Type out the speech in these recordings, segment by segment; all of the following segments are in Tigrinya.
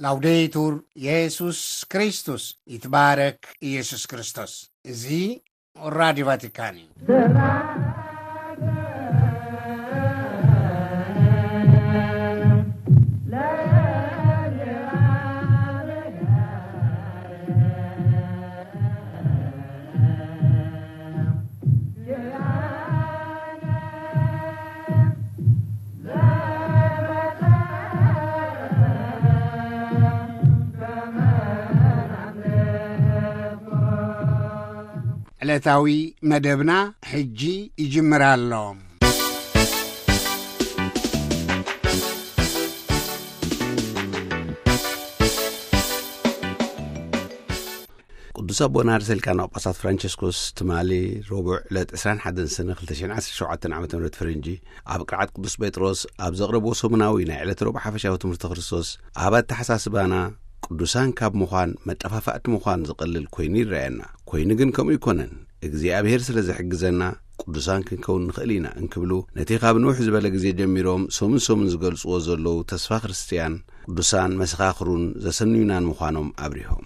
ላውዴቱር የሱስ ክርስቶስ፣ ይትባረክ ኢየሱስ ክርስቶስ። እዚ ራዲዮ ቫቲካን እዩ። ዕለታዊ መደብና ሕጂ ይጅምር ኣሎ። ቅዱስ ኣቦና ርእሰ ሊቃነ ጳጳሳት ፍራንቸስኮስ ትማሊ ረቡዕ ዕለት ዕስራን ሓደን ሰነ ክልተ ሽሕን ዓሰርተ ሸውዓተን ዓመተ ምህረት ፈረንጂ ኣብ ቅርዓት ቅዱስ ጴጥሮስ ኣብ ዘቕረብዎ ሰሙናዊ ናይ ዕለተ ረቡዕ ሓፈሻዊ ትምህርቲ ክርስቶስ፣ ኣብ ኣተሓሳስባና ቅዱሳን ካብ ምዃን መጠፋፋእቲ ምዃን ዝቐልል ኮይኑ ይረኣየና። ኮይኑ ግን ከምኡ ኣይኮነን። እግዚኣብሔር ስለ ዝሕግዘና ቅዱሳን ክንከውን ንኽእል ኢና እንክብሉ፣ ነቲ ካብ ንውሕ ዝበለ ግዜ ጀሚሮም ሰሙን ሰሙን ዝገልጽዎ ዘለዉ ተስፋ ክርስትያን ቅዱሳን መሰኻኽሩን ዘሰንዩናን ምዃኖም ኣብሪሆም።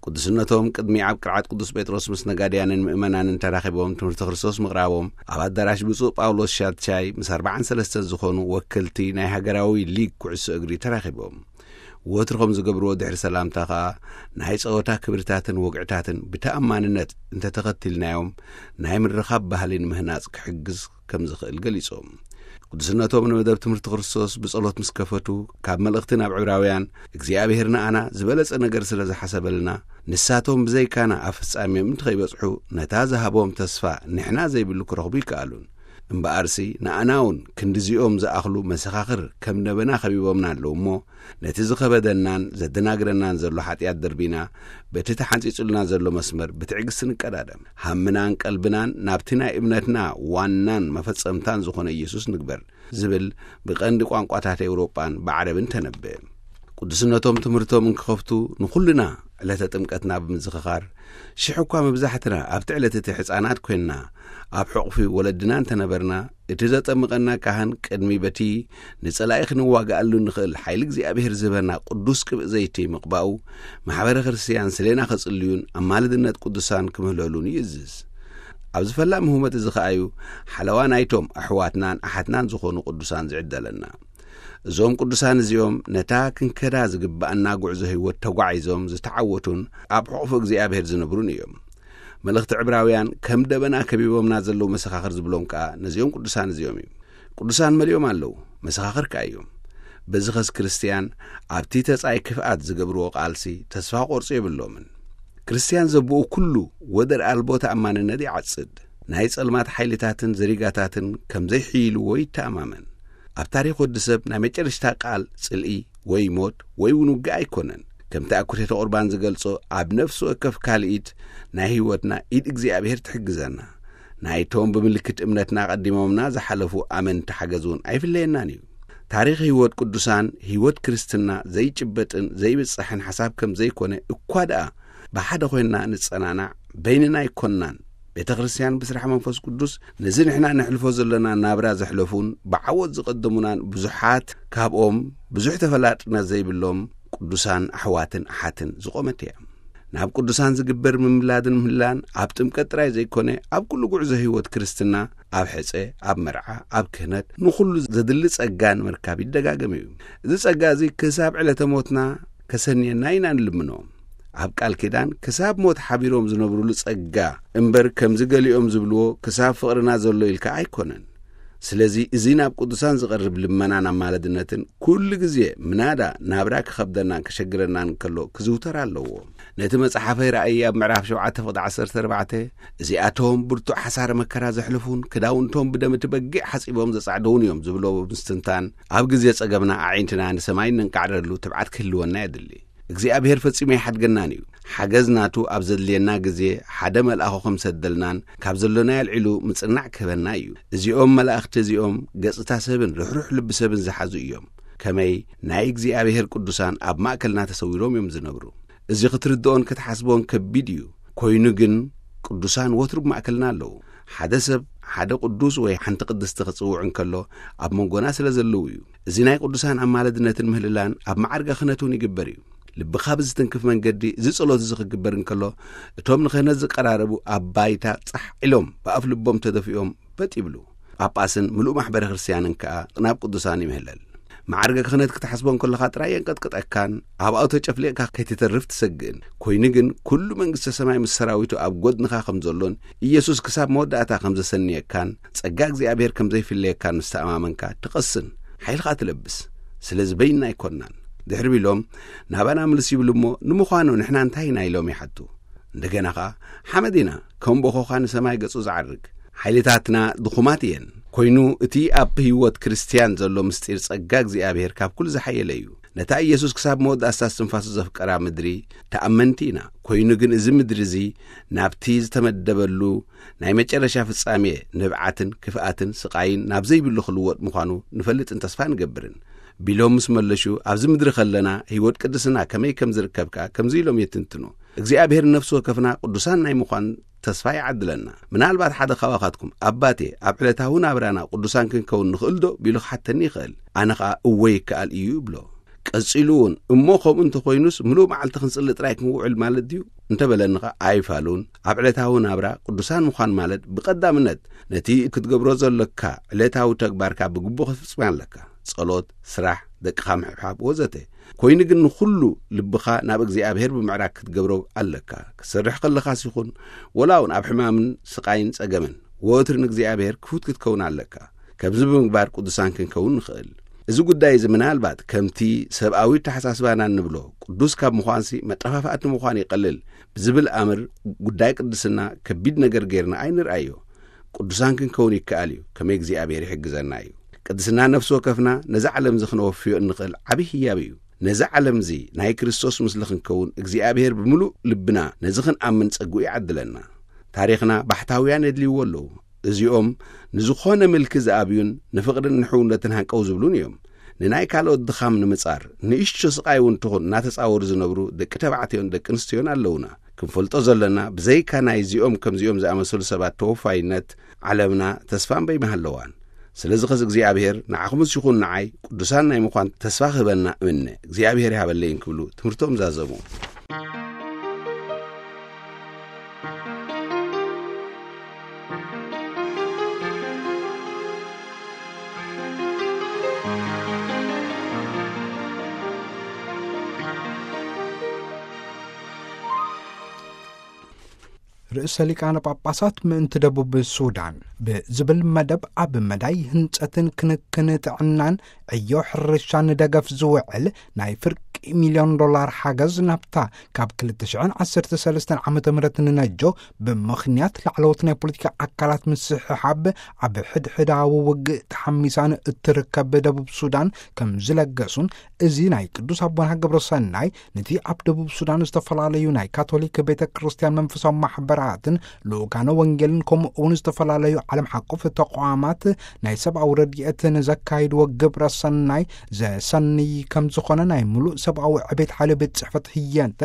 ቅዱስነቶም ቅድሚ ኣብ ቅርዓት ቅዱስ ጴጥሮስ ምስ ነጋድያንን ምእመናንን ተራኺቦም ትምህርቲ ክርስቶስ ምቕራቦም፣ ኣብ ኣዳራሽ ብፁዕ ጳውሎስ ሻትሻይ ምስ ኣርባዓን ሰለስተን ዝኾኑ ወከልቲ ናይ ሃገራዊ ሊግ ኩዕሶ እግሪ ተራኺቦም። ወትሩ ከም ዝገብርዎ ድሕሪ ሰላምታ ኸኣ፣ ናይ ጸወታ ክብርታትን ወግዕታትን ብተኣማንነት እንተተኸቲልናዮም፣ ናይ ምርኻብ ባህሊ ንምህናጽ ክሕግዝ ከም ዝኽእል ገሊጾም። ቅዱስነቶም ንመደብ ትምህርቲ ክርስቶስ ብጸሎት ምስ ከፈቱ፣ ካብ መልእኽቲ ናብ ዕብራውያን እግዚኣብሔር ንኣና ዝበለጸ ነገር ስለ ዝሓሰበልና፣ ንሳቶም ብዘይካና ኣብ ፍጻሜኦም እንተኸይበጽሑ፣ ነታ ዝሃቦም ተስፋ ንሕና ዘይብሉ ክረኽቡ ይከኣሉን። እምበኣርሲ ንኣና እውን ክንድዚኦም ዝኣኽሉ መሰኻኽር ከም ደበና ከቢቦምና ኣለዉ እሞ፣ ነቲ ዝኸበደናን ዘደናግረናን ዘሎ ሓጢኣት ደርቢና፣ በቲ ተሓንጺጹልና ዘሎ መስመር ብትዕግስቲ ንቀዳደም። ሃምናን ቀልብናን ናብቲ ናይ እምነትና ዋናን መፈጸምታን ዝኾነ ኢየሱስ ንግበር ዝብል ብቐንዲ ቋንቋታት ኤውሮጳን ብዓረብን ተነብእ። ቅዱስነቶም ትምህርቶም እንክኸፍቱ ንኹልና ዕለተ ጥምቀትና ብምዝኽኻር፣ ሽሕ እኳ መብዛሕትና ኣብቲ ዕለት እቲ ሕፃናት ኮይንና ኣብ ሕቑፊ ወለድና እንተነበርና፣ እቲ ዘጠምቐና ካህን ቅድሚ በቲ ንጸላኢ ክንዋግኣሉ ንኽእል ሓይሊ እግዚኣብሔር ዝህበና ቅዱስ ቅብእ ዘይቲ ምቕባኡ፣ ማሕበረ ክርስትያን ስሌና ከጽልዩን ኣማልድነት ቅዱሳን ክምህለሉን ይእዝዝ። ኣብዚ ፈላሚ ህሞት እዚ ኸኣዩ፣ ሓለዋ ናይቶም ኣሕዋትናን ኣሓትናን ዝኾኑ ቅዱሳን ዝዕደለና። እዞም ቅዱሳን እዚኦም ነታ ክንከዳ ዝግብኣና ጉዕዞ ህይወት ተጓዒዞም ዝተዓወቱን ኣብ ሕቑፉ እግዚኣብሔር ዝነብሩን እዮም። መልእኽቲ ዕብራውያን ከም ደበና ከቢቦምና ዘለዉ መሰኻኽር ዝብሎም ከኣ ነዚኦም ቅዱሳን እዚኦም እዩ። ቅዱሳን መሊኦም ኣለዉ፣ መሰኻኽር ከኣ እዮም። በዚ ኸስ ክርስትያን ኣብቲ ተጻይ ክፍኣት ዝገብርዎ ቃልሲ ተስፋ ክቖርጹ የብሎምን። ክርስትያን ዘብኡ ኩሉ ወደር ኣልቦ ተኣማንነት ይዓጽድ። ናይ ጸልማት ሓይልታትን ዘሪጋታትን ከም ዘይሕይልዎ ይተኣማመን። ኣብ ታሪኽ ወዲ ሰብ ናይ መጨረሽታ ቃል ጽልኢ ወይ ሞት ወይ እውን ውግእ ኣይኮነን። ከምቲ ኣኩቴተ ቁርባን ዝገልጾ፣ ኣብ ነፍሲ ወከፍ ካልኢት ናይ ህይወትና ኢድ እግዚኣብሔር ትሕግዘና። ናይቶም ብምልክት እምነትና ቀዲሞምና ዝሓለፉ ኣመንቲ ሓገዝ እውን ኣይፍለየናን እዩ። ታሪኽ ህይወት ቅዱሳን፣ ህይወት ክርስትና ዘይጭበጥን ዘይብጻሕን ሓሳብ ከም ዘይኮነ እኳ ደኣ፣ ብሓደ ኮይንና ንጸናናዕ፣ በይንና ኣይኮንናን። ቤተ ክርስትያን ብስራሕ መንፈስ ቅዱስ ነዚ ንሕና ነሕልፎ ዘለና ናብራ ዘሕለፉን ብዓወት ዝቐደሙናን ብዙሓት፣ ካብኦም ብዙሕ ተፈላጥነት ዘይብሎም ቅዱሳን ኣሕዋትን ኣሓትን ዝቖመት እያ። ናብ ቅዱሳን ዝግበር ምምላድን ምህላን ኣብ ጥምቀት ጥራይ ዘይኮነ፣ ኣብ ኩሉ ጉዕዞ ህይወት ክርስትና፣ ኣብ ሕጸ፣ ኣብ መርዓ፣ ኣብ ክህነት፣ ንኹሉ ዘድሊ ጸጋ ንምርካብ ይደጋገም እዩ። እዚ ጸጋ እዚ ክሳብ ዕለተ ሞትና ከሰንየና ኢና ንልምኖ። ኣብ ቃል ኪዳን ክሳብ ሞት ሓቢሮም ዝነብሩሉ ጸጋ እምበር፣ ከምዚ ገሊኦም ዝብልዎ ክሳብ ፍቕርና ዘሎ ኢልካ ኣይኮነን። ስለዚ እዚ ናብ ቅዱሳን ዝቐርብ ልመናን ኣማለድነትን ኩሉ ግዜ ምናዳ ናብራ ክኸብደናን ከሸግረናን ከሎ ክዝውተር ኣለዎ። ነቲ መጽሓፈ ራእይ ኣብ ምዕራፍ ሸውዓተ ፍቕዲ ዓሰርተ ኣርባዕተ፣ እዚኣቶም ብርቱዕ ሓሳረ መከራ ዘሕልፉን ክዳውንቶም ብደም እቲ በጊዕ ሓጺቦም ዘጻዕደውን እዮም ዝብሎ ብምስትንታን፣ ኣብ ግዜ ጸገምና ኣዒንትና ንሰማይ እነንቃዕረሉ ትብዓት ክህልወና የድሊ። እግዚኣብሔር ፈጺሙ ኣይሓድገናን እዩ። ሓገዝ ናቱ ኣብ ዘድልየና ግዜ ሓደ መልኣኹ ከም ሰደልናን ካብ ዘሎናይ ኣልዒሉ ምጽናዕ ክህበና እዩ። እዚኦም መላእኽቲ እዚኦም ገጽታ ሰብን ርሕሩሕ ልቢ ሰብን ዝሓዙ እዮም። ከመይ ናይ እግዚኣብሔር ቅዱሳን ኣብ ማእከልና ተሰዊሮም እዮም ዝነብሩ። እዚ ክትርድኦን ክትሓስቦን ከቢድ እዩ። ኮይኑ ግን ቅዱሳን ወትሩ ብማእከልና ኣለዉ። ሓደ ሰብ ሓደ ቅዱስ ወይ ሓንቲ ቅድስቲ ክጽውዕ እንከሎ ኣብ መንጎና ስለ ዘለዉ እዩ። እዚ ናይ ቅዱሳን ኣማለድነትን ምህልላን ኣብ መዓርገ ክህነት እውን ይግበር እዩ። ልብኻ ብዝትንክፍ መንገዲ እዚ ጸሎት እዚ ክግበር እንከሎ፣ እቶም ንክህነት ዝቀራረቡ ኣብ ባይታ ጻሕ ኢሎም ብኣፍ ልቦም ተደፊኦም በጥ ይብሉ። ጳጳስን ምሉእ ማሕበረ ክርስትያንን ከኣ ናብ ቅዱሳን ይምህለል። መዓርገ ክህነት ክትሓስቦ እንከለኻ ጥራይ የንቀጥቅጠካን ኣብኣው ተጨፍሊቕካ ከይትተርፍ ትሰግእን። ኮይኑ ግን ኩሉ መንግስተ ሰማይ ምስ ሰራዊቱ ኣብ ጎድንኻ ከም ዘሎን ኢየሱስ ክሳብ መወዳእታ ከም ዘሰንየካን ጸጋ እግዚኣብሔር ከም ዘይፍለየካን ምስ ተኣማመንካ ትቐስን፣ ሓይልኻ ትለብስ። ስለዚ በይንና ኣይኮንናን። ድሕሪ ቢሎም ናባና ምልስ ይብሉ እሞ፣ ንምዃኑ ንሕና እንታይ ኢና ኢሎም ይሓቱ። እንደገና ኸኣ ሓመድ ኢና፣ ከም ቦኾኻ ንሰማይ ገጹ ዝዓርግ። ሓይልታትና ድኹማት እየን። ኮይኑ እቲ ኣብ ህይወት ክርስትያን ዘሎ ምስጢር ጸጋ እግዚኣብሔር ካብ ኩሉ ዝሓየለ እዩ። ነታ ኢየሱስ ክሳብ መወዳእታ እስትንፋሱ ዘፍቀራ ምድሪ ተኣመንቲ ኢና። ኮይኑ ግን እዚ ምድሪ እዚ ናብቲ ዝተመደበሉ ናይ መጨረሻ ፍጻሜ ንብዓትን ክፍኣትን ስቓይን ናብ ዘይብሉ ክልወጥ ምዃኑ ንፈልጥን ተስፋ ንገብርን። ቢሎም ምስ መለሹ፣ ኣብዚ ምድሪ ከለና ህይወት ቅድስና ከመይ ከም ዝርከብ ከኣ ከምዚ ኢሎም የትንትኑ። እግዚኣብሔር ንነፍሲ ወከፍና ቅዱሳን ናይ ምዃን ተስፋ ይዓድለና። ምናልባት ሓደ ካባኻትኩም፣ "ኣባቴ፣ ኣብ ዕለታዊ ናብራና ቅዱሳን ክንከውን ንኽእል ዶ?" ቢሉ ክሓተኒ ይኽእል። ኣነ ኸኣ፣ "እወ፣ ይከኣል እዩ" ይብሎ። ቀጺሉ እውን፣ "እሞ ከምኡ እንተኾይኑስ ምሉእ መዓልቲ ክንጽሊ ጥራይ ክንውዕል ማለት ድዩ?" እንተበለኒ ኸኣ ኣይፋሉን። ኣብ ዕለታዊ ናብራ ቅዱሳን ምዃን ማለት ብቐዳምነት ነቲ ክትገብሮ ዘሎካ ዕለታዊ ተግባርካ ብግቡእ ክትፍጽም ኣለካ። ጸሎት፣ ስራሕ፣ ደቅኻ ምሕብሓብ ወዘተ። ኮይኑ ግን ንኹሉ ልብኻ ናብ እግዚኣብሔር ብምዕራግ ክትገብሮ ኣለካ። ክትሰርሕ ከለኻስ ይኹን፣ ወላ እውን ኣብ ሕማምን ስቓይን ጸገምን፣ ወትሩ ንእግዚኣብሔር ክፉት ክትከውን ኣለካ። ከምዚ ብምግባር ቅዱሳን ክንከውን ንኽእል። እዚ ጉዳይ እዚ ምናልባት ከምቲ ሰብኣዊ ኣተሓሳስባና እንብሎ ቅዱስ ካብ ምዃንሲ መጠፋፋእቲ ምዃን ይቐልል ብዝብል ኣምር ጉዳይ ቅድስና ከቢድ ነገር ጌርና ኣይንርኣዮ። ቅዱሳን ክንከውን ይከኣል እዩ፣ ከመይ እግዚኣብሔር ይሕግዘና እዩ። ቅድስና ነፍሲ ወከፍና ነዛ ዓለም እዚ ክነወፍዮ እንኽእል ዓብዪ ህያብ እዩ። ነዛ ዓለም እዚ ናይ ክርስቶስ ምስሊ ክንከውን እግዚኣብሔር ብምሉእ ልብና ነዚ ክንኣምን ጸግኡ ይዓድለና። ታሪኽና ባሕታውያን የድልይዎ ኣለዉ። እዚኦም ንዝኾነ ምልኪ ዝኣብዩን ንፍቕርን ንሕውነትን ሃንቀው ዝብሉን እዮም። ንናይ ካልኦት ድኻም ንምጻር፣ ንእሽቶ ስቓይ እውን ትኹን እናተጻወሩ ዝነብሩ ደቂ ተባዕትዮን ደቂ ኣንስትዮን ኣለዉና። ክንፈልጦ ዘለና፣ ብዘይካ ናይዚኦም ከምዚኦም ዝኣመሰሉ ሰባት ተወፋይነት፣ ዓለምና ተስፋ እምበይ ምሃለዋን። ስለዚ ኸዚ እግዚኣብሔር ንዓኹምስ ይኹን ንዓይ ቅዱሳን ናይ ምዃን ተስፋ ክህበና እምነ። እግዚኣብሔር ይሃበለይን ክብሉ ትምህርቶም ዛዘሙ። ርእሰ ሊቃነ ጳጳሳት ምእንቲ ደቡብ ሱዳን ብዝብል መደብ፣ ኣብ መዳይ ህንጸትን ክንክን ጥዕናን ዕዮ ሕርሻን ደገፍ ዝውዕል ናይ ፍርቂ ሚልዮን ዶላር ሓገዝ ናብታ ካብ ክልተ ሽሕን ዓሰርተ ሰለስተን ዓመተ ምህረት ንነጆ ብምኽንያት ላዕለዎት ናይ ፖለቲካ ኣካላት ምስሕሓብ ኣብ ሕድሕዳዊ ውግእ ተሓሚሳን እትርከብ ደቡብ ሱዳን ከም ዝለገሱን፣ እዚ ናይ ቅዱስ ኣቦና ግብረ ሰናይ ነቲ ኣብ ደቡብ ሱዳን ዝተፈላለዩ ናይ ካቶሊክ ቤተ ክርስቲያን መንፈሳዊ ማሕበራትን ልኡካነ ወንጌልን ከምኡ እውን ዝተፈላለዩ ዓለም ሓቆፍ ተቋማት ናይ ሰብኣዊ ረድኤት ንዘካይድዎ ግብረ ሰናይ ዘሰንይ ከም ዝኾነ ናይ ምሉእ ሰብኣዊ ዕቤት ሓይሊ ቤት ጽሕፈት ህየንተ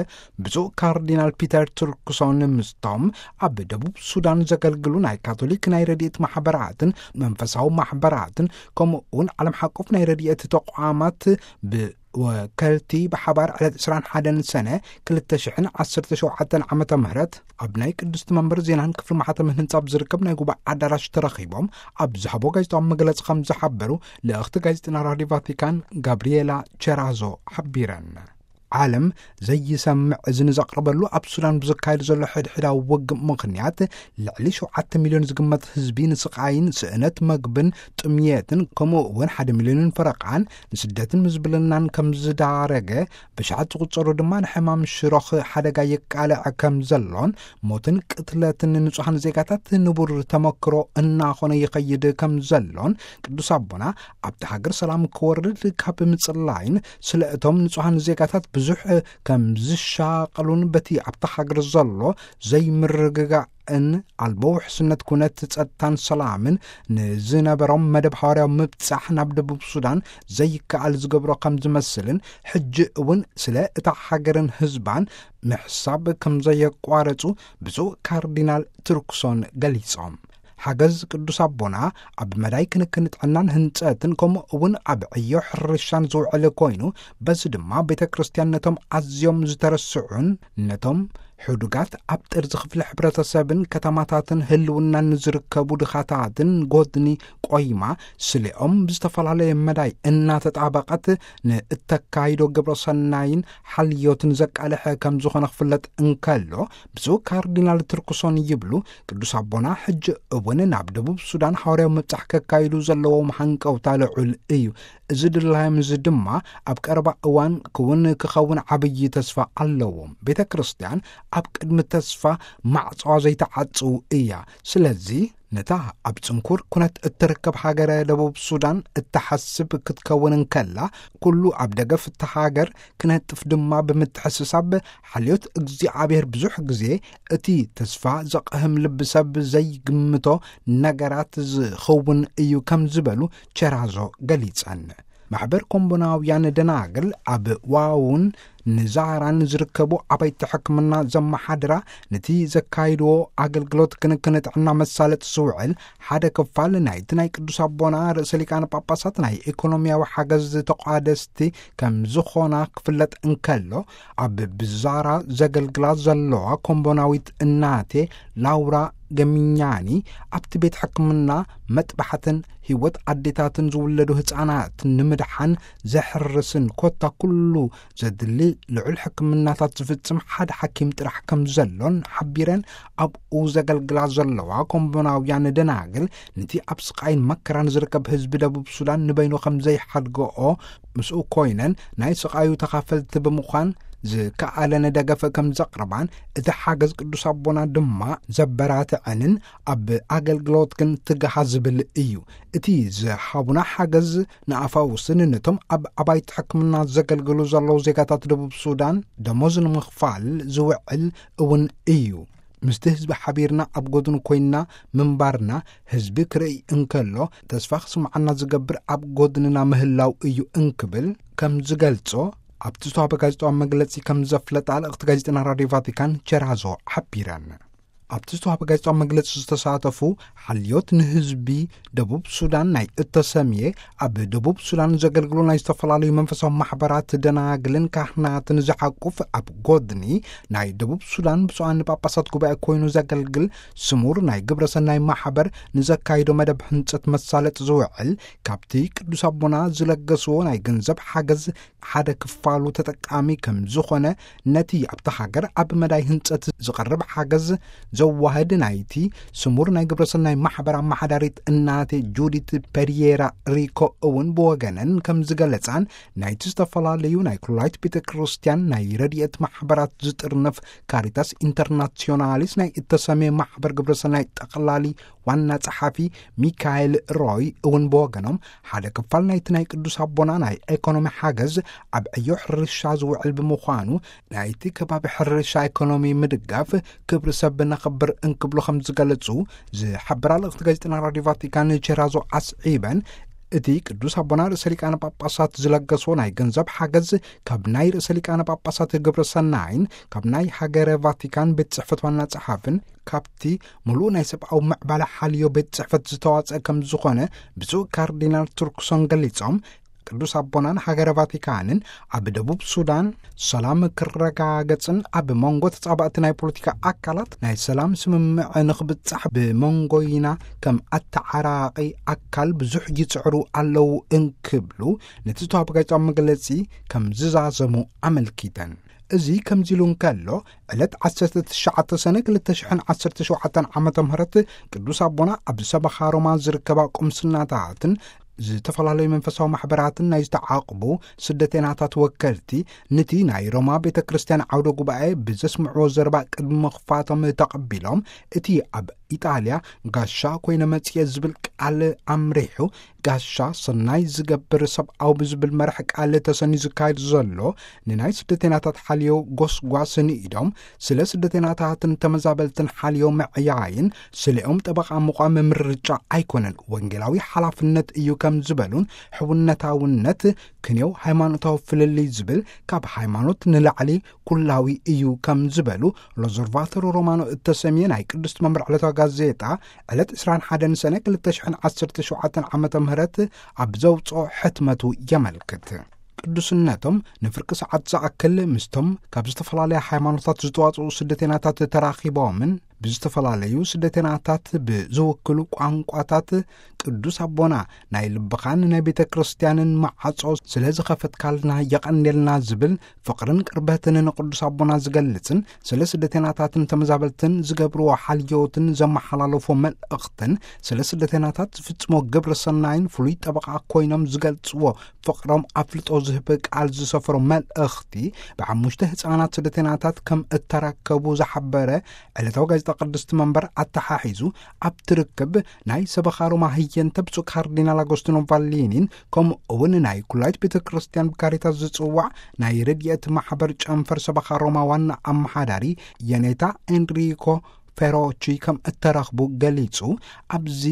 ብፁዕ ካርዲናል ፒተር ቱርክሶን ምስቶም ኣብ ደቡብ ሱዳን ዘገልግሉ ናይ ካቶሊክ ናይ ረድኤት ማሕበራትን መንፈሳዊ ማሕበራትን ከምኡ እውን ዓለም ሓቆፍ ናይ ረድኤት ተቋማት ብወከልቲ ብሓባር ዕለት ዕስራን ሓደን ሰነ ክልተ ሽሕን ዓሰርተ ሸውዓተን ዓመተ ምህረት ኣብ ናይ ቅድስቲ መንበር ዜናን ክፍሊ ማሕተምን ህንጻ ኣብ ዝርከብ ናይ ጉባኤ ኣዳራሽ ተረኺቦም ኣብ ዝሃቦ ጋዜጣዊ መግለጺ ከም ዝሓበሩ ልእኽቲ ጋዜጠና ራድዮ ቫቲካን ጋብሪኤላ ቸራዞ ሓቢረን። ዓለም ዘይሰምዕ እዝኒ ዘቕርበሉ ኣብ ሱዳን ብዘካየዱ ዘሎ ሕድሕዳዊ ውግእ ምኽንያት ልዕሊ ሸውዓተ ሚልዮን ዝግመት ህዝቢ ንስቓይን ስእነት መግብን ጥምየትን ከምኡ እውን ሓደ ሚልዮንን ፈረቓን ንስደትን ምዝብልናን ከም ዝዳረገ፣ ብሽሓት ዝቑጸሩ ድማ ንሕማም ሽሮኽ ሓደጋ የቃልዕ ከም ዘሎን ሞትን ቅትለትን ንጹሓን ዜጋታት ንቡር ተመክሮ እናኾነ ይኸይድ ከም ዘሎን ቅዱስ ኣቦና ኣብቲ ሃገር ሰላም ክወርድ ካብ ምጽላይን ስለ እቶም ንጹሓን ዜጋታት ብዙሕ ከም ዝሻቐሉን በቲ ኣብታ ሃገር ዘሎ ዘይምርግጋእን ኣልቦ ውሕስነት ኩነት ጸጥታን ሰላምን ንዝነበሮም መደብ ሃዋርያዊ ምብጻሕ ናብ ደቡብ ሱዳን ዘይከኣል ዝገብሮ ከም ዝመስልን ሕጂ እውን ስለ እታ ሃገርን ህዝባን ምሕሳብ ከም ዘየቋረጹ ብፁዕ ካርዲናል ቱርክሶን ገሊጾም። ሓገዝ ቅዱስ ኣቦና ኣብ መዳይ ክንክን ጥዕናን ህንጸትን፣ ከምኡ እውን ኣብ ዕዮ ሕርሻን ዝውዕል ኮይኑ፣ በዚ ድማ ቤተ ክርስቲያን ነቶም ኣዝዮም ዝተረስዑን ነቶም ሕዱጋት፣ ኣብ ጥርዚ ክፍሊ ሕብረተሰብን ከተማታትን ህልውናን ንዝርከቡ ድኻታትን ጎድኒ ቆይማ፣ ስሌኦም ብዝተፈላለየ መዳይ እናተጣበቐት ንእተካይዶ ግብረ ሰናይን ሓልዮትን ዘቃልሐ ከም ዝኾነ ክፍለጥ እንከሎ፣ ብፁዕ ካርዲናል ትርኩሶን ይብሉ፣ ቅዱስ ኣቦና ሕጂ እውን ናብ ደቡብ ሱዳን ሃዋርያዊ ምብጻሕ ከካይዱ ዘለዎም ሃንቀውታ ልዑል እዩ። እዚ ድላዮም እዚ ድማ ኣብ ቀረባ እዋን ክውን ክኸውን ዓብዪ ተስፋ ኣለዎም። ቤተ ክርስቲያን ኣብ ቅድሚ ተስፋ ማዕጾዋ ዘይተዓጽው እያ። ስለዚ ነታ ኣብ ጽንኩር ኩነት እትርከብ ሃገረ ደቡብ ሱዳን እትሓስብ ክትከውን እንከላ፣ ኩሉ ኣብ ደገፍ እታ ሃገር ክነጥፍ ድማ ብምትሕስሳብ፣ ሓልዮት እግዚኣብሔር ብዙሕ ግዜ እቲ ተስፋ ዘቕህም ልቢ ሰብ ዘይግምቶ ነገራት ዝኸውን እዩ ከም ዝበሉ ቸራዞ ገሊጸን። ማሕበር ኮምቦናውያን ደናግል ኣብ ዋውን ንዛራን ዝርከቡ ኣባይቲ ሕክምና ዘመሓድራ፣ ነቲ ዘካይድዎ ኣገልግሎት ክንክን ጥዕና መሳለጥ ዝውዕል ሓደ ክፋል ናይቲ ናይ ቅዱስ ኣቦና ርእሰ ሊቃነ ጳጳሳት ናይ ኢኮኖሚያዊ ሓገዝ ተቋደስቲ ከም ዝኾና ክፍለጥ እንከሎ፣ ኣብ ብዛራ ዘገልግላ ዘለዋ ኮምቦናዊት እናቴ ላውራ ገሚኛኒ፣ ኣብቲ ቤት ሕክምና መጥባሕትን ህይወት ኣዴታትን ዝውለዱ ህፃናት ንምድሓን ዘሕርስን ኮታ ኩሉ ዘድሊ ልዑል ሕክምናታት ዝፍጽም ሓደ ሓኪም ጥራሕ ከም ዘሎን ሓቢረን፣ ኣብኡ ዘገልግላ ዘለዋ ኮምቦናውያን ደናግል ነቲ ኣብ ስቓይን መከራን ዝርከብ ህዝቢ ደቡብ ሱዳን ንበይኑ ከም ዘይሓድገኦ፣ ምስኡ ኮይነን ናይ ስቓዩ ተኻፈልቲ ብምዃን ዝከኣለን ደገፍ ከም ዘቕርባን፣ እቲ ሓገዝ ቅዱስ ኣቦና ድማ ዘበራትዐንን ኣብ ኣገልግሎት ግን ትግሃ ዝብል እዩ። እቲ ዝሃቡና ሓገዝ ንኣፋውስን ነቶም ኣብ ኣባይቲ ሕክምና ዘገልግሉ ዘለዉ ዜጋታት ደቡብ ሱዳን ደሞዝ ንምኽፋል ዝውዕል እውን እዩ። ምስቲ ህዝቢ ሓቢርና ኣብ ጎድኑ ኮይንና ምንባርና፣ ህዝቢ ክርእይ እንከሎ ተስፋ ክስምዓና ዝገብር ኣብ ጎድንና ምህላው እዩ እንክብል ከም ዝገልጾ ኣብቲ ዝተዋህበ ጋዜጣዊ መግለጺ ከም ዘፍለጣ ልእኽቲ ጋዜጠና ራድዮ ቫቲካን ቸራዞ ሓቢረን። ኣብቲ ዝተዋህበ ጋዜጣዊ መግለጺ ዝተሳተፉ ሓልዮት ንህዝቢ ደቡብ ሱዳን ናይ እተሰምየ ኣብ ደቡብ ሱዳን ዘገልግሉ ናይ ዝተፈላለዩ መንፈሳዊ ማሕበራት ደናግልን ካህናትን ዝሓቁፍ ኣብ ጎድኒ ናይ ደቡብ ሱዳን ብፁዓን ጳጳሳት ጉባኤ ኮይኑ ዘገልግል ስሙር ናይ ግብረ ሰናይ ማሕበር ንዘካይዶ መደብ ህንጸት መሳለጥ ዝውዕል ካብቲ ቅዱስ ኣቦና ዝለገስዎ ናይ ገንዘብ ሓገዝ ሓደ ክፋሉ ተጠቃሚ ከም ዝኾነ ነቲ ኣብታ ሃገር ኣብ መዳይ ህንጸት ዝቐርብ ሓገዝ ዘዋህድ ናይቲ ስሙር ናይ ግብረ ሰናይ ማሕበር ኣመሓዳሪት እናቴ ጁዲት ፔሪየራ ሪኮ እውን ብወገነን ከም ዝገለጻን፣ ናይቲ ዝተፈላለዩ ናይ ኩላይት ቤተ ክርስቲያን ናይ ረድኤት ማሕበራት ዝጥርንፍ ካሪታስ ኢንተርናሲዮናሊስ ናይ እተሰምየ ማሕበር ግብረ ሰናይ ጠቕላሊ ዋና ጸሓፊ ሚካኤል ሮይ እውን ብወገኖም፣ ሓደ ክፋል ናይቲ ናይ ቅዱስ ኣቦና ናይ ኤኮኖሚ ሓገዝ ኣብ ዕዮ ሕርሻ ዝውዕል ብምዃኑ፣ ናይቲ ከባቢ ሕርሻ ኤኮኖሚ ምድጋፍ ክብሪ ሰብ ነኽብር እንክብሉ ከም ዝገለጹ ዝሓበራ ልእኽቲ ጋዜጠና ራድዮ ቫቲካን ቸራዞ ኣስዒበን፣ እቲ ቅዱስ ኣቦና ርእሰ ሊቃነ ጳጳሳት ዝለገስዎ ናይ ገንዘብ ሓገዝ ካብ ናይ ርእሰ ሊቃነ ጳጳሳት ግብረ ሰናይን ካብ ናይ ሃገረ ቫቲካን ቤት ጽሕፈት ዋና ጸሓፍን ካብቲ ምሉእ ናይ ሰብኣዊ ምዕባለ ሓልዮ ቤት ጽሕፈት ዝተዋጸአ ከም ዝኾነ ብፁዕ ካርዲናል ቱርክሶን ገሊጾም፣ ቅዱስ ኣቦናን ሃገረ ቫቲካንን ኣብ ደቡብ ሱዳን ሰላም ክረጋገጽን ኣብ መንጎ ተጻባእቲ ናይ ፖለቲካ ኣካላት ናይ ሰላም ስምምዕ ንኽብጻሕ ብመንጎይና ከም ኣተዓራቒ ኣካል ብዙሕ ይጽዕሩ ኣለዉ እንክብሉ ነቲ ዝተዋህበ ጋዜጣዊ መግለጺ ከም ዝዛዘሙ ኣመልኪተን። እዚ ከምዚ ኢሉ እንከሎ፣ ዕለት ዓሰርተ ትሽዓተ ሰነ ክልተ ሽሕን ዓሰርተ ሸውዓተን ዓመተ ምህረት ቅዱስ ኣቦና ኣብ ሰበኻ ሮማ ዝርከባ ቁምስናታትን ዝተፈላለዩ መንፈሳዊ ማሕበራትን ናይ ዝተዓቕቡ ስደተናታት ወከልቲ፣ ነቲ ናይ ሮማ ቤተ ክርስቲያን ዓውደ ጉባኤ ብዘስምዕዎ ዘረባ ቅድሚ ምኽፋቶም ተቐቢሎም፣ እቲ ኣብ ኢጣልያ ጋሻ ኮይነ መጽየ ዝብል ቃል ኣምሪሑ፣ ጋሻ ሰናይ ዝገብር ሰብኣዊ ብዝብል መርሕ ቃል ተሰንዩ ዝካየድ ዘሎ ንናይ ስደተናታት ሓልዮ ጎስጓስ ንኢዶም፣ ስለ ስደተናታትን ተመዛበልትን ሓልዮ ምዕያይን ስሌኦም ጠበቓ ምዃም ምርጫ ኣይኮነን፣ ወንጌላዊ ሓላፍነት እዩ ከም ዝበሉን፣ ሕውነታውነት ክንየው ሃይማኖታዊ ፍልልይ ዝብል ካብ ሃይማኖት ንላዕሊ ኩላዊ እዩ ከም ዝበሉ፣ ሎዞርቫቶሮ ሮማኖ እተሰምየ ናይ ቅድስቲ መምህር ዕለታዊ ጋዜጣ ዕለት ዕስራን ሓደን ሰነ ክልተ ሽሕን ዓሰርተ ሸውዓተን ዓመተ ምህረት ኣብ ዘውፅኦ ሕትመቱ የመልክት። ቅዱስነቶም ንፍርቂ ሰዓት ዝኣክል ምስቶም ካብ ዝተፈላለያ ሃይማኖታት ዝተዋፅኡ ስደተናታት ተራኺቦምን ብዝተፈላለዩ ስደተናታት ብዝውክሉ ቋንቋታት ቅዱስ ኣቦና ናይ ልብኻን ናይ ቤተ ክርስቲያንን መዓጾ ስለ ዝኸፈትካልና የቐንየልና ዝብል ፍቕርን ቅርበትን ንቅዱስ ኣቦና ዝገልጽን ስለ ስደተናታትን ተመዛበልትን ዝገብርዎ ሓልዮትን ዘመሓላለፎ መልእኽትን ስለ ስደተናታት ዝፍጽሞ ግብረ ሰናይን ፍሉይ ጠበቓ ኮይኖም ዝገልጽዎ ፍቕሮም ኣፍልጦ ዝህብ ቃል ዝሰፈሮ መልእኽቲ ብሓሙሽተ ህፃናት ስደተናታት ከም እተረከቡ ዝሓበረ ዕለታዊ ጋዜጣ ቅድስቲ መንበር ኣተሓሒዙ ኣብቲ ርክብ ናይ ሰበኻ ሮማ ህየንተ ብፁዕ ካርዲናል ኣጎስቲኖ ቫሊኒን ከምኡ እውን ናይ ኩላይት ቤተ ክርስቲያን ብካሪታስ ዝጽዋዕ ናይ ረድኤት ማሕበር ጨንፈር ሰበኻ ሮማ ዋና ኣመሓዳሪ የኔታ ኤንሪኮ ፌሮቺ ከም እተረኽቡ ገሊጹ፣ ኣብዚ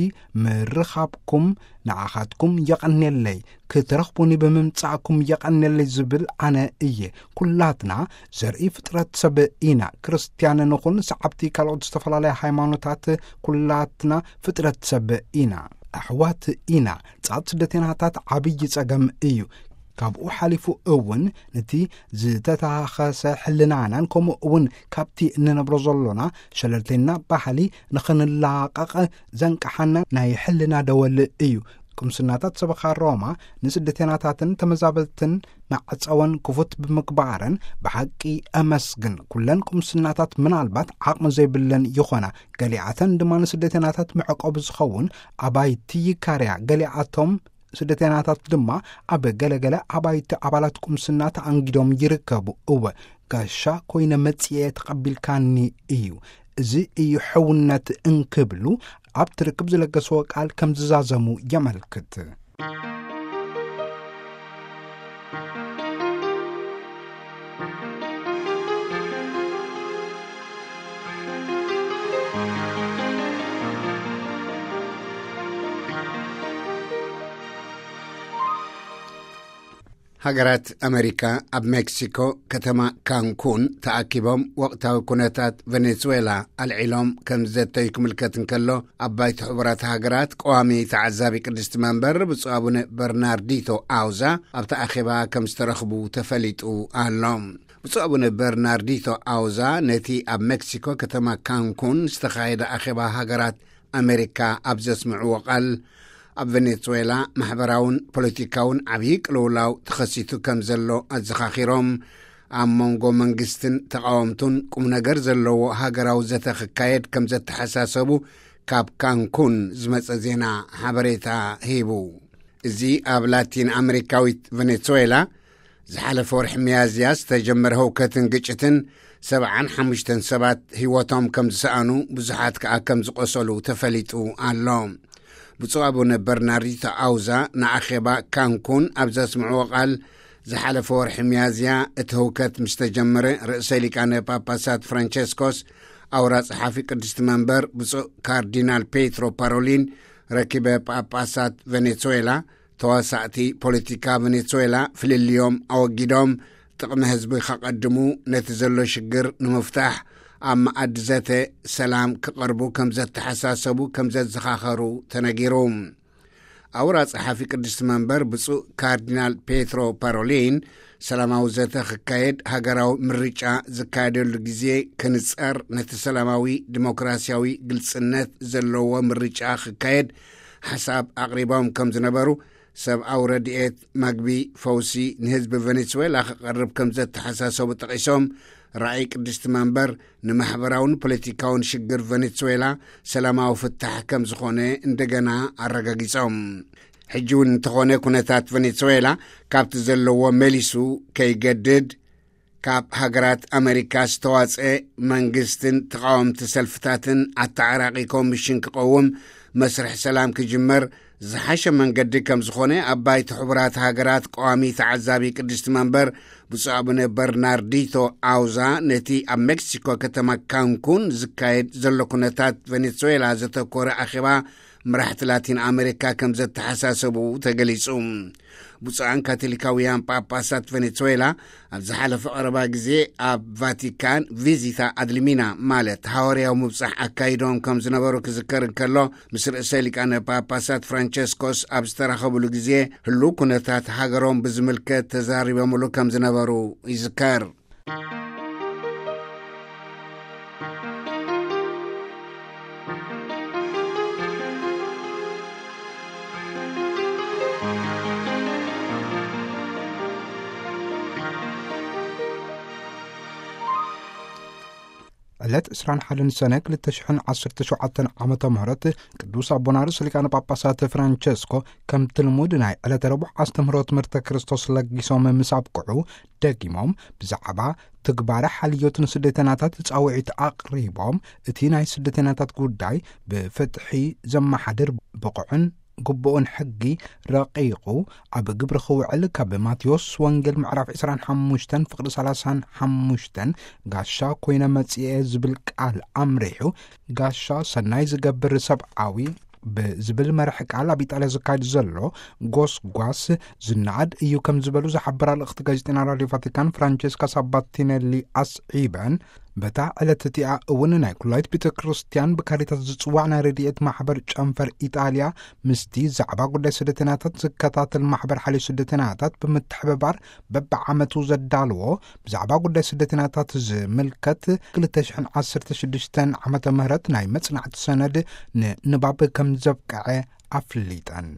ምርኻብኩም ንዓኻትኩም የቐንየለይ፣ ክትረኽቡኒ ብምምጻእኩም የቐንየለይ ዝብል ኣነ እየ። ኩላትና ዘርኢ ፍጥረት ሰብ ኢና። ክርስትያን ንኹን ሰዓብቲ ካልኦት ዝተፈላለያ ሃይማኖታት ኩላትና ፍጥረት ሰብ ኢና። ኣሕዋት ኢና። ጻት ስደተናታት ዓብዪ ጸገም እዩ። ካብኡ ሓሊፉ እውን ነቲ ዝተታኸሰ ሕልናናን ከምኡ እውን ካብቲ እንነብሮ ዘሎና ሸለልተኛ ባህሊ ንኽንላቐቕ ዘንቀሓና ናይ ሕልና ደወል እዩ። ቅምስናታት ሰበኻ ሮማ ንስደተናታትን ተመዛበልትን መዕጸወን ክፉት ብምግባረን ብሓቂ ኣመስግን። ኩለን ቅምስናታት ምናልባት ዓቕሚ ዘይብለን ይኾና፣ ገሊኣተን ድማ ንስደተናታት መዕቆቢ ዝኸውን ኣባይቲ ይካርያ፣ ገሊኣቶም ስደተናታት ድማ ኣብ ገለገለ ኣባይቲ ኣባላት ቁምስና ተኣንጊዶም ይርከቡ። እወ፣ ጋሻ ኮይነ መጽኤ ተቐቢልካኒ እዩ። እዚ እዩ ሕውነት እንክብሉ ኣብቲ ርክብ ዝለገስዎ ቃል ከም ዝዛዘሙ የመልክት። ሃገራት ኣመሪካ ኣብ ሜክሲኮ ከተማ ካንኩን ተኣኪቦም ወቕታዊ ኩነታት ቬኔዙዌላ ኣልዒሎም ከም ዘተዩ ክምልከት እንከሎ፣ ኣብ ባይቶ ሕቡራት ሃገራት ቀዋሚ ተዓዛቢ ቅድስቲ መንበር ብፁዕ ኣቡነ በርናርዲቶ ኣውዛ ኣብቲ ኣኼባ ከም ዝተረኽቡ ተፈሊጡ ኣሎ። ብፁዕ ኣቡነ በርናርዲቶ ኣውዛ ነቲ ኣብ ሜክሲኮ ከተማ ካንኩን ዝተኻየደ ኣኼባ ሃገራት ኣሜሪካ ኣብ ዘስምዕዎ ቃል፣ ኣብ ቬኔዙዌላ ማሕበራውን ፖለቲካውን ዓብዪ ቅልውላው ተኸሲቱ ከም ዘሎ ኣዘኻኺሮም፣ ኣብ መንጎ መንግስትን ተቓወምቱን ቁም ነገር ዘለዎ ሃገራዊ ዘተ ክካየድ ከም ዘተሓሳሰቡ ካብ ካንኩን ዝመጸ ዜና ሓበሬታ ሂቡ። እዚ ኣብ ላቲን ኣሜሪካዊት ቬኔዙዌላ ዝሓለፈ ወርሒ ሚያዝያ ዝተጀመረ ህውከትን ግጭትን ሰብዓን ሓሙሽተን ሰባት ህይወቶም ከም ዝሰኣኑ፣ ብዙሓት ከኣ ከም ዝቖሰሉ ተፈሊጡ ኣሎ። ብፁዕ ኣቡነ በርናርዲቶ ኣውዛ ንኣኼባ ካንኩን ኣብ ዘስምዕዎ ቃል፣ ዝሓለፈ ወርሒ ሚያዝያ እቲ ህውከት ምስ ተጀመረ፣ ርእሰ ሊቃነ ጳጳሳት ፍራንቸስኮስ ኣውራ ጸሓፊ ቅድስቲ መንበር ብፁዕ ካርዲናል ፔትሮ ፓሮሊን ረኪበ፣ ጳጳሳት ቬኔዙዌላ ተዋሳእቲ ፖለቲካ ቬኔዙዌላ ፍልልዮም ኣወጊዶም ጥቕሚ ህዝቢ ከቐድሙ፣ ነቲ ዘሎ ሽግር ንምፍታሕ ኣብ መኣዲ ዘተ ሰላም ክቐርቡ ከም ዘተሓሳሰቡ ከም ዘዘኻኸሩ ተነጊሩ። ኣውራ ጸሓፊ ቅድስቲ መንበር ብፁዕ ካርዲናል ፔትሮ ፓሮሊን፣ ሰላማዊ ዘተ ክካየድ፣ ሃገራዊ ምርጫ ዝካየደሉ ግዜ ክንጸር፣ ነቲ ሰላማዊ ዲሞክራሲያዊ ግልጽነት ዘለዎ ምርጫ ክካየድ ሓሳብ ኣቕሪቦም ከም ዝነበሩ፣ ሰብኣዊ ረድኤት፣ መግቢ፣ ፈውሲ ንህዝቢ ቬኔዙዌላ ክቐርብ ከም ዘተሓሳሰቡ ጠቒሶም፣ ራእይ ቅድስቲ መንበር ንማሕበራውን ፖለቲካውን ሽግር ቬኔዙዌላ ሰላማዊ ፍታሕ ከም ዝኾነ እንደገና ኣረጋጊጾም። ሕጂ እውን እንተኾነ፣ ኩነታት ቬኔዙዌላ ካብቲ ዘለዎ መሊሱ ከይገድድ፣ ካብ ሃገራት ኣመሪካ ዝተዋጽአ መንግስትን ተቓወምቲ ሰልፍታትን ኣተዓራቒ ኮሚሽን ክቐውም፣ መስርሕ ሰላም ክጅመር ዝሓሸ መንገዲ ከም ዝኾነ ኣብ ባይቶ ሕቡራት ሃገራት ቀዋሚ ተዓዛቢ ቅድስቲ መንበር ብፁዕ ኣቡነ በርናርዲቶ ኣውዛ ነቲ ኣብ ሜክሲኮ ከተማ ካንኩን ዝካየድ ዘሎ ኩነታት ቬኔዙዌላ ዘተኮረ ኣኼባ መራሕቲ ላቲን ኣሜሪካ ከም ዘተሓሳሰቡ ተገሊጹ። ብፁዓን ካቶሊካውያን ጳጳሳት ቬኔዙዌላ ኣብ ዝሓለፈ ቀረባ ግዜ ኣብ ቫቲካን ቪዚታ ኣድልሚና፣ ማለት ሃዋርያዊ ምብጻሕ ኣካይዶም ከም ዝነበሩ ክዝከር እንከሎ፣ ምስ ርእሰ ሊቃነ ጳጳሳት ፍራንቸስኮስ ኣብ ዝተራኸብሉ ግዜ ህሉው ኩነታት ሃገሮም ብዝምልከት ተዛሪቦምሉ ከም ዝነበሩ ይዝከር። ዕለት ዕስራን ሓደን ሰነ ክልተ ሽሕን ዓሰርተ ሸውዓተን ዓመተ ምህረት ቅዱስ ኣቦና ርእሰ ሊቃነ ጳጳሳት ፍራንቸስኮ ከምቲ ልሙድ ናይ ዕለተ ረቡዕ ኣስተምህሮ ትምህርተ ክርስቶስ ለጊሶም ምስ ኣብቅዑ፣ ደጊሞም ብዛዕባ ትግባረ ሓልዮት ንስደተናታት ጻውዒት ኣቕሪቦም፣ እቲ ናይ ስደተናታት ጉዳይ ብፍትሒ ዘመሓድር ብቑዕን ግቡእን ሕጊ ረቂቑ ኣብ ግብሪ ክውዕል ካብ ማቴዎስ ወንጌል ምዕራፍ ዕስራን ሓሙሽተን ፍቕዲ ሰላሳን ሓሙሽተን ጋሻ ኮይነ መጽኤ ዝብል ቃል ኣምሪሑ፣ ጋሻ ሰናይ ዝገብር ሰብኣዊ ብዝብል መርሕ ቃል ኣብ ኢጣልያ ዝካየድ ዘሎ ጎስጓስ ዝነኣድ እዩ ከም ዝበሉ ዝሓበራ ልእኽቲ ጋዜጠና ራድዮ ቫቲካን ፍራንቸስካ ሳባቲነሊ ኣስዒበን፣ በታ ዕለት እቲኣ እውን ናይ ኩላይት ቤተ ክርስቲያን ብካሪታስ ዝጽዋዕ ናይ ረድኤት ማሕበር ጨንፈር ኢጣልያ ምስቲ ዛዕባ ጉዳይ ስደተናታት ዝከታተል ማሕበር ሓልዮ ስደተናታት ብምትሕብባር በብዓመቱ ዘዳልዎ ብዛዕባ ጉዳይ ስደተናታት ዝምልከት ክልተ ሽሕን ዓሰርተ ሽዱሽተን ዓመተ ምህረት ናይ መጽናዕቲ ሰነድ ንንባብ ከም ዘብቅዐ ኣፍሊጠን።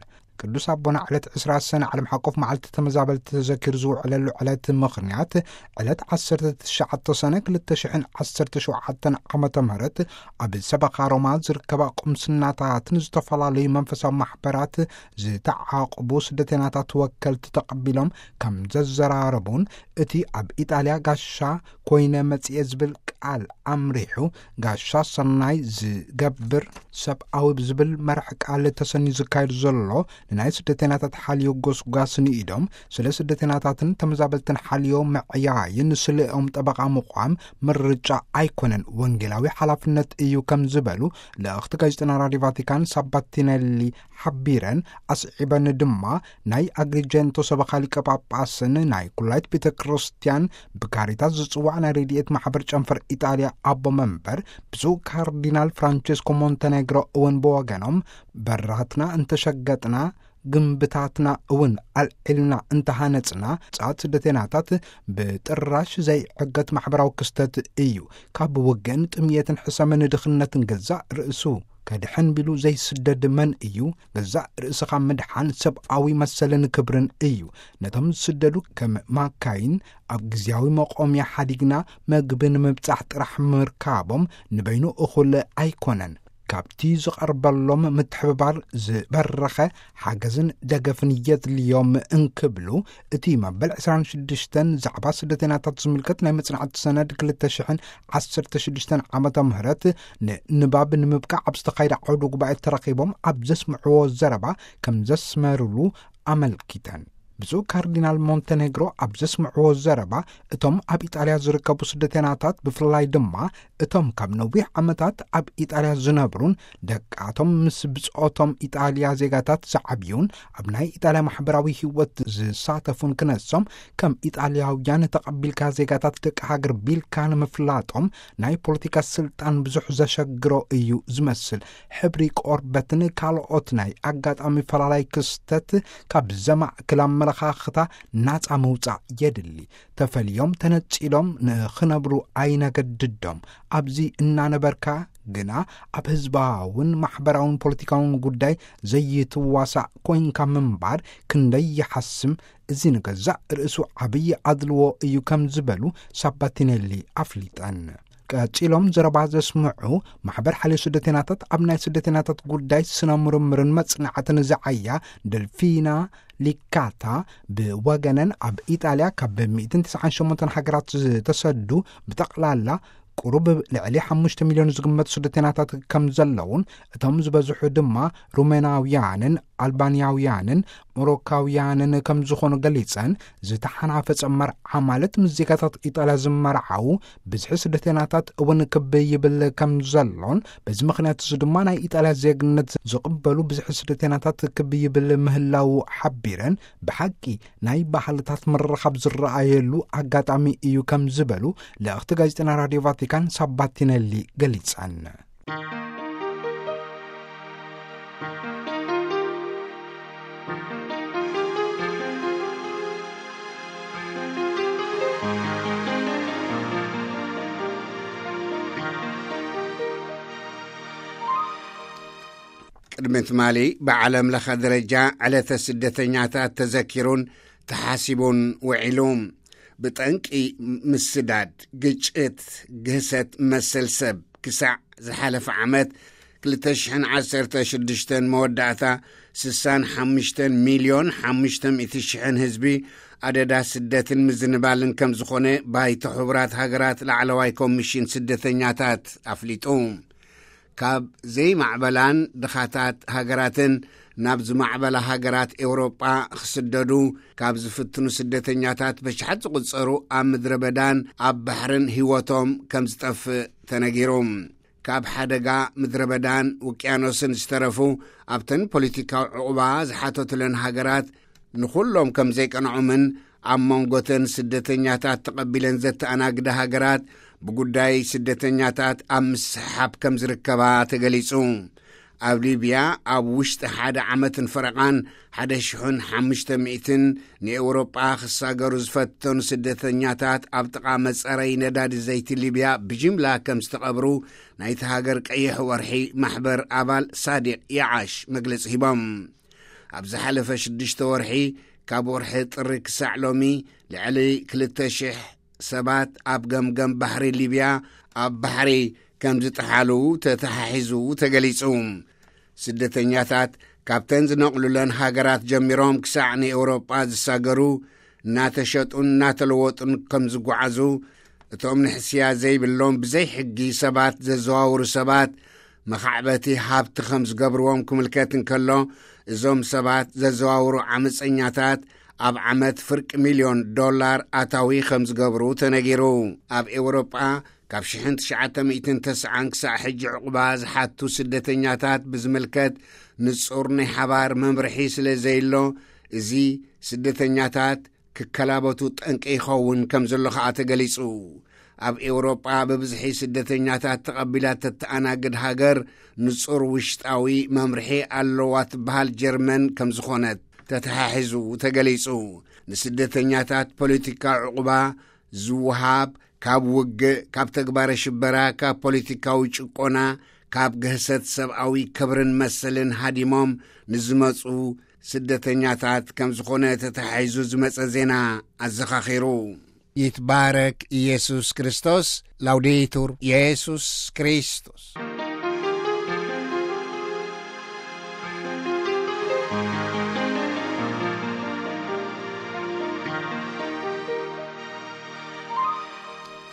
ቅዱስ ኣቦና ዕለት ዕስራ ሰነ ዓለም ሓቆፍ መዓልቲ ተመዛበልቲ ተዘኪሩ ዝውዕለሉ ዕለት ምኽንያት፣ ዕለት ዓሰርተ ትሽዓተ ሰነ ክልተ ሽሕን ዓሰርተ ሸውዓተን ዓመተ ምህረት ኣብ ሰበኻ ሮማ ዝርከባ ቁምስናታትን ዝተፈላለዩ መንፈሳዊ ማሕበራት ዝተዓቕቡ ስደተናታት ወከልቲ ተቐቢሎም ከም ዘዘራረቡን፣ እቲ ኣብ ኢጣልያ ጋሻ ኮይነ መጽኤ ዝብል ቃል ኣምሪሑ፣ ጋሻ ሰናይ ዝገብር ሰብኣዊ ብዝብል መርሕ ቃል ተሰንዩ ዝካየድ ዘሎ ንናይ ስደተናታት ሓልዮ ጎስጓስ ንኢዶም፣ ስለ ስደተናታትን ተመዛበልትን ሓልዮ ምዕያይን ስለኦም ጠበቓ ምዃም ምርጫ ኣይኮነን፣ ወንጌላዊ ሓላፍነት እዩ ከም ዝበሉ ልእኽቲ ጋዜጠና ራድዮ ቫቲካን ሳባቲነሊ ሓቢረን፣ ኣስዒበን ድማ ናይ ኣግሪጀንቶ ሰበኻ ሊቀ ጳጳስን ናይ ኩላይት ቤተ ክርስቲያን ብካሪታስ ዝጽዋዕ ናይ ረድኤት ማሕበር ጨንፈር ኢጣልያ ኣቦ መንበር ብፁዕ ካርዲናል ፍራንቸስኮ ሞንተኔግሮ እውን ብወገኖም፣ በራትና እንተሸገጥና፣ ግንብታትና እውን ኣልዒልና እንተሃነጽና፣ ጻት ስደተናታት ብጥራሽ ዘይዕገት ማሕበራዊ ክስተት እዩ። ካብ ውግእን ጥምየትን ሕሰምን ድኽነትን ገዛእ ርእሱ ከድሕን ቢሉ ዘይስደድ መን እዩ? ገዛእ ርእስኻ ምድሓን ሰብኣዊ መሰልን ክብርን እዩ። ነቶም ዝስደዱ ከም ማካይን ኣብ ግዜያዊ መቆምያ ሓዲግና መግቢ ንምብጻሕ ጥራሕ ምርካቦም ንበይኑ እኹል ኣይኮነን። ካብቲ ዝቐርበሎም ምትሕብባር ዝበረኸ ሓገዝን ደገፍን የድልዮም እንክብሉ፣ እቲ መበል ዕስራን ሽዱሽተን ዛዕባ ስደተኛታት ዝምልከት ናይ መጽናዕቲ ሰነድ ክልተ ሽሕን ዓሰርተ ሽዱሽተን ዓመተ ምህረት ንንባብ ንምብቃዕ ኣብ ዝተኻየደ ዓውደ ጉባኤ ተረኺቦም ኣብ ዘስምዕዎ ዘረባ ከም ዘስመሩሉ ኣመልኪተን። ብፁዕ ካርዲናል ሞንተኔግሮ ኣብ ዘስምዕዎ ዘረባ፣ እቶም ኣብ ኢጣልያ ዝርከቡ ስደተኛታት፣ ብፍላይ ድማ እቶም ካብ ነዊሕ ዓመታት ኣብ ኢጣልያ ዝነብሩን ደቃቶም ምስ ብጾቶም ኢጣልያ ዜጋታት ዝዓብዩን ኣብ ናይ ኢጣልያ ማሕበራዊ ህይወት ዝሳተፉን ክነሶም፣ ከም ኢጣልያውያን ተቐቢልካ ዜጋታት ደቂ ሃገር ቢልካ ንምፍላጦም ናይ ፖለቲካ ስልጣን ብዙሕ ዘሸግሮ እዩ ዝመስል። ሕብሪ ቆርበትን ካልኦት ናይ ኣጋጣሚ ፈላላይ ክስተት ካብ ዘማእክል ኣመለኻኽታ ናጻ ምውጻእ የድሊ። ተፈልዮም ተነጺሎም ንኽነብሩ ኣይነገድዶም። ኣብዚ እናነበርካ ግና ኣብ ህዝባውን ማሕበራውን ፖለቲካውን ጉዳይ ዘይትዋሳእ ኮይንካ ምንባር ክንደይ ይሓስም። እዚ ንገዛእ ርእሱ ዓብዪ ኣድልዎ እዩ ከም ዝበሉ ሳባቲኔሊ ኣፍሊጠን። ቀጺሎም ዘረባ ዘስምዑ፣ ማሕበር ሓልዮ ስደተኛታት ኣብ ናይ ስደተኛታት ጉዳይ ስነ ምርምርን መጽናዕትን ዝዓያ ደልፊና ሊካታ ብወገነን፣ ኣብ ኢጣልያ ካብ ሚእትን ተስዓን ሸሞንተን ሃገራት ዝተሰዱ ብጠቕላላ ቁሩብ ልዕሊ ሓሙሽተ ሚልዮን ዝግመቱ ስደተኛታት ከም ዘለውን፣ እቶም ዝበዝሑ ድማ ሩሜናውያንን ኣልባንያውያንን ሞሮካውያንን ከም ዝኾኑ ገሊጸን፣ ዝተሓናፈጸ መርዓ ማለት ምስ ዜጋታት ኢጣልያ ዝመርዓው ብዝሒ ስደተኛታት እውን ክብ ይብል ከም ዘሎን፣ በዚ ምኽንያት እዚ ድማ ናይ ኢጣልያ ዜግነት ዝቕበሉ ብዝሒ ስደተኛታት ክብ ይብል ምህላው ሓቢረን፣ ብሓቂ ናይ ባህልታት ምርኻብ ዝረኣየሉ ኣጋጣሚ እዩ ከም ዝበሉ ልእኽቲ ጋዜጠና ራድዮ ቫቲካን ሳባቲነሊ ገሊጸን። ቅድሚ ትማሊ ብዓለም ለኸ ደረጃ ዕለተ ስደተኛታት ተዘኪሩን ተሓሲቡን ውዒሉ። ብጠንቂ ምስዳድ፣ ግጭት፣ ግህሰት መሰል ሰብ ክሳዕ ዝሓለፈ ዓመት ክልተ ሽሕን ዓሰርተ ሽዱሽተን መወዳእታ ስሳን ሓሙሽተን ሚልዮን ሓሙሽተ ሚእቲ ሽሕን ህዝቢ ኣደዳ ስደትን ምዝንባልን ከም ዝኾነ ባይቶ ሕቡራት ሃገራት ላዕለዋይ ኮሚሽን ስደተኛታት ኣፍሊጡ። ካብ ዘይማዕበላን ድኻታት ሃገራትን ናብ ዝማዕበላ ሃገራት ኤውሮጳ ክስደዱ ካብ ዝፍትኑ ስደተኛታት በሽሓት ዝቑጸሩ ኣብ ምድረ በዳን ኣብ ባሕርን ህይወቶም ከም ዝጠፍእ ተነጊሩ። ካብ ሓደጋ ምድረ በዳን ውቅያኖስን ዝተረፉ ኣብተን ፖለቲካዊ ዕቑባ ዝሓተቱለን ሃገራት ንኹሎም ከም ዘይቀንዖምን ኣብ መንጎተን ስደተኛታት ተቐቢለን ዘተኣናግዳ ሃገራት ብጉዳይ ስደተኛታት ኣብ ምስሕሓብ ከም ዝርከባ ተገሊጹ። ኣብ ሊብያ ኣብ ውሽጢ ሓደ ዓመትን ፈረቓን ሓደ ሽሕን ሓሙሽተ ሚእትን ንኤውሮጳ ክሳገሩ ዝፈተኑ ስደተኛታት ኣብ ጥቓ መጻረይ ነዳዲ ዘይቲ ሊብያ ብጅምላ ከም ዝተቐብሩ ናይቲ ሃገር ቀይሕ ወርሒ ማሕበር ኣባል ሳዲቕ ያዓሽ መግለጺ ሂቦም። ኣብ ዝሓለፈ ሽዱሽተ ወርሒ ካብ ወርሒ ጥሪ ክሳዕ ሎሚ ልዕሊ ክልተ ሽሕ ሰባት ኣብ ገምገም ባሕሪ ሊብያ ኣብ ባሕሪ ከም ዝጠሓሉ ተተሓሒዙ ተገሊጹ። ስደተኛታት ካብተን ዝነቕሉለን ሃገራት ጀሚሮም ክሳዕ ንኤውሮጳ ዝሳገሩ እናተሸጡን እናተለወጡን ከም ዝጓዓዙ፣ እቶም ንሕስያ ዘይብሎም ብዘይ ሕጊ ሰባት ዘዘዋውሩ ሰባት መኻዕበቲ ሃብቲ ከም ዝገብርዎም ክምልከት እንከሎ፣ እዞም ሰባት ዘዘዋውሩ ዓመፀኛታት ኣብ ዓመት ፍርቂ ሚልዮን ዶላር ኣታዊ ከም ዝገብሩ ተነጊሩ። ኣብ ኤውሮጳ ካብ ሽሕን ትሽዓተ ሚእትን ተስዓን ክሳዕ ሕጂ ዕቑባ ዝሓቱ ስደተኛታት ብዝምልከት ንጹር ናይ ሓባር መምርሒ ስለ ዘየሎ፣ እዚ ስደተኛታት ክከላበቱ ጠንቂ ይኸውን ከም ዘሎ ከኣ ተገሊጹ። ኣብ ኤውሮጳ ብብዝሒ ስደተኛታት ተቐቢላ ተተኣናግድ ሃገር ንጹር ውሽጣዊ መምርሒ ኣለዋ ትበሃል ጀርመን ከም ዝኾነት ተተሓሒዙ ተገሊጹ። ንስደተኛታት ፖለቲካዊ ዕቑባ ዝወሃብ ካብ ውግእ፣ ካብ ተግባረ ሽበራ፣ ካብ ፖለቲካዊ ጭቆና፣ ካብ ግህሰት ሰብኣዊ ክብርን መሰልን ሃዲሞም ንዝመጹ ስደተኛታት ከም ዝኾነ ተተሓሒዙ ዝመጸ ዜና ኣዘኻኺሩ። ይትባረክ ኢየሱስ ክርስቶስ። ላውዴቱር ኢየሱስ ክርስቶስ።